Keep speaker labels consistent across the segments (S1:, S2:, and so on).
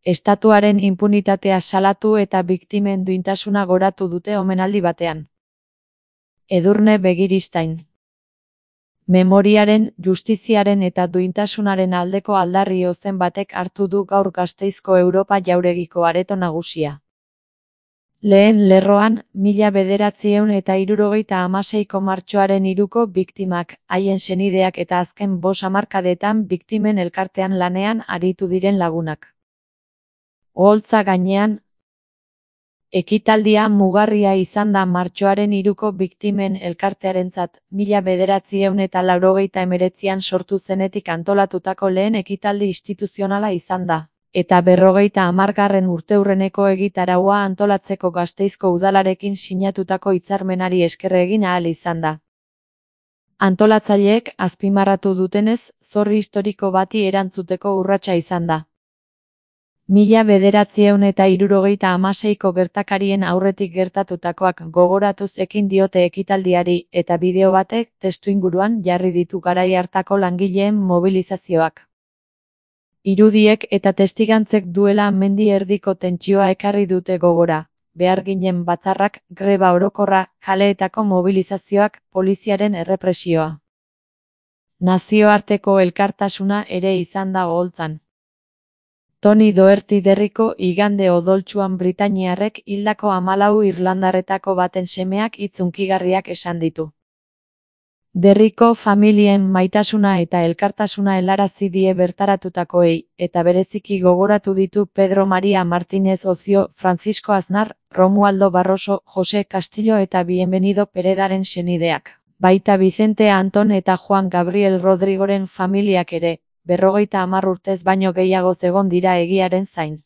S1: Estatuaren inpunitatea salatu eta biktimen duintasuna goratu dute omenaldi batean. Edurne Begiristain. Memoriaren, justiziaren eta duintasunaren aldeko aldarri ozen batek hartu du gaur Gasteizko Europa Jauregiko areto nagusia. Lehen lerroan, 1976ko martxoaren 3ko biktimak, haien senideak eta azken 5 hamarkadetan biktimen elkartean lanean aritu diren lagunak. Oholtza gainean, ekitaldia mugarria izan da martxoaren 3ko biktimen elkartearentzat, 1989an sortu zenetik antolatutako lehen ekitaldi instituzionala izan da, eta 50. urteurreneko egitaraua antolatzeko Gasteizko udalarekin sinatutako hitzarmenari esker egin ahal izan da. Antolatzaileek azpimarratu dutenez, zorri historiko bati erantzuteko urratsa izan da. 1976ko gertakarien aurretik gertatutakoak gogoratuz ekin diote ekitaldiari eta bideo batek testuinguruan jarri ditu garai hartako langileen mobilizazioak. Irudiek eta testigantzek duela mendi erdiko tentsioa ekarri dute gogora, beharginen batzarrak, greba orokorra, kaleetako mobilizazioak, poliziaren errepresioa. Nazioarteko elkartasuna ere izan da oholtzan. Tony Doherty Derriko igande odoltsuan britainiarrek hildako 14 irlandarretako baten semeak hitz hunkigarriak esan ditu. Derriko familien maitasuna eta elkartasuna helarazi die bertaratutakoei, eta bereziki gogoratu ditu Pedro María Martínez Ocio, Francisco Aznar, Romualdo Barroso, José Castillo eta Bienvenido Peredaren senideak. Baita Vicente Anton eta Juan Gabriel Rodrigoren familiak ere, 50 urtez baino gehiago egon dira egiaren zain.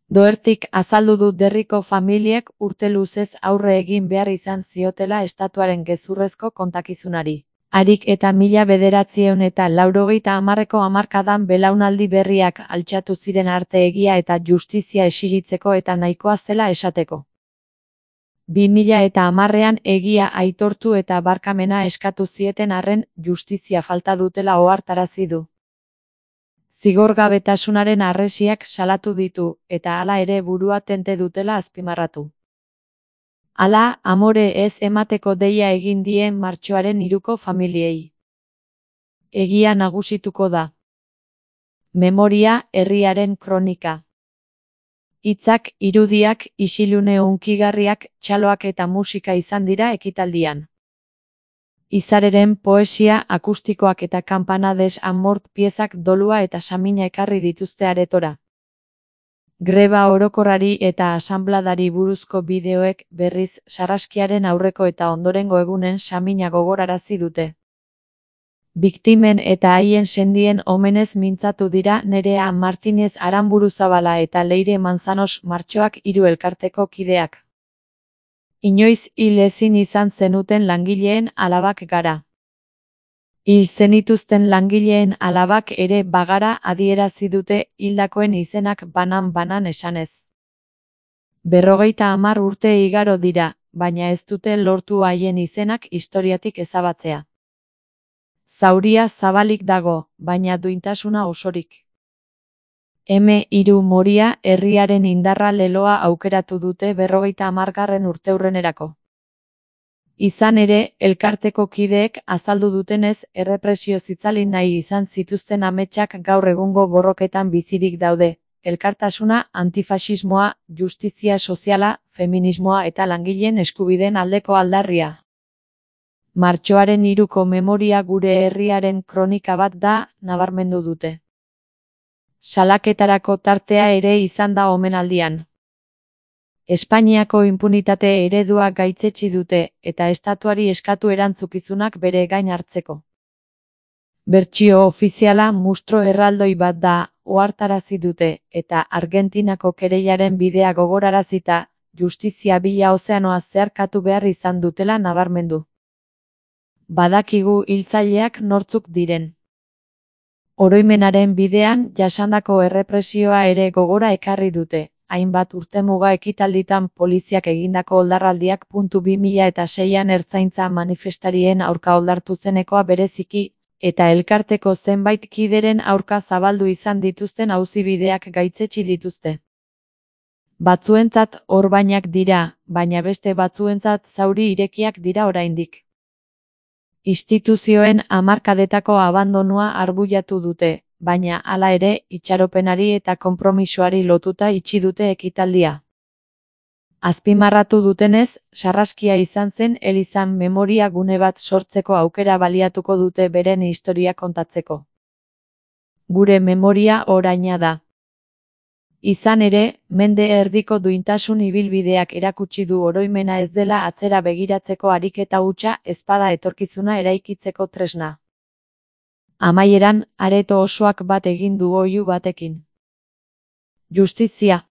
S1: Dohertyk azaldu du Derriko familiek urte luzez aurre egin behar izan ziotela estatuaren gezurrezko kontakizunari. Harik eta 1980ko hamarkadan belaunaldi berriak altxatu ziren arte egia eta justizia esiritzeko eta nahikoa zela esateko. 2010ean egia aitortu eta barkamena eskatu zieten arren, justizia falta dutela ohartarazi du. Zigorgabetasunaren harresiak salatu ditu, eta hala ere burua tente dutela azpimarratu. Hala, amore ez emateko deia egin dien martxoaren 3ko familiei. Egia nagusituko da. Memoria, herriaren kronika. Hitzak, irudiak, isilune hunkigarriak, txaloak eta musika izan dira ekitaldian. Izareren poesia, akustikoak eta Campanades Amort piezak dolua eta samina ekarri dituzte aretora. Greba orokorrari eta asanbladari buruzko bideoek berriz sarraskiaren aurreko eta ondorengo egunen samina gogorarazi dute. Biktimen eta haien sendien omenez mintzatu dira Nerea Martínez Aranburuzabala eta Leire Manzanos martxoak 3 elkarteko kideak. Inoiz hil ezin izan zenuten langileen alabak gara. Hil zenituzten langileen alabak ere bagara adierazi dute hildakoen izenak banan-banan esanez. 50 urte igaro dira, baina ez dute lortu haien izenak historiatik ezabatzea. Zauria zabalik dago, baina duintasuna osorik. M3 Moria herriaren indarra leloa aukeratu dute 50. urteurrenerako. Izan ere, elkarteko kideek azaldu dutenez errepresio zitzali nahi izan zituzten ametsak gaur egungo borroketan bizirik daude, elkartasuna, antifaxismoa, justizia soziala, feminismoa eta langileen eskubideen aldeko aldarria. Martxoaren 3ko memoria gure herriaren kronika bat da, nabarmendu dute. Salaketarako tartea ere izan da omenaldian. Espainiako inpunitate eredua gaitzetsi dute, eta estatuari eskatu erantzukizunak bere gain hartzeko. Bertsio ofiziala mustro erraldoi bat da, ohartarazi dute, eta Argentinako kereilaren bidea gogorarazita, justizia bila ozeanoa zeharkatu behar izan dutela nabarmendu. Badakigu hiltzaileak nortzuk diren. Oroimenaren bidean jasandako errepresioa ere gogora ekarri dute, hainbat urtemuga ekitalditan poliziak egindako oldarraldiak. 2006an ertzaintza manifestarien aurka oldartu zenekoa bereziki, eta elkarteko zenbait kideren aurka zabaldu izan dituzten auzibideak gaitzetsi dituzte. Batzuentzat orbainak dira, baina beste batzuentzat zauri irekiak dira oraindik. Instituzioen hamarkadetako abandonua arbuiatu dute, baina hala ere itxaropenari eta konpromisoari lotuta itxi dute ekitaldia. Azpimarratu dutenez, sarraskia izan zen elizan memoria gune bat sortzeko aukera baliatuko dute beren historia kontatzeko. Gure memoria oraina da. Izan ere, mende erdiko duintasun ibilbideak erakutsi du oroimena ez dela atzera begiratzeko ariketa hutsa ezpada etorkizuna eraikitzeko tresna. Amaieran, areto osoak bat egin du oihu batekin. Justizia.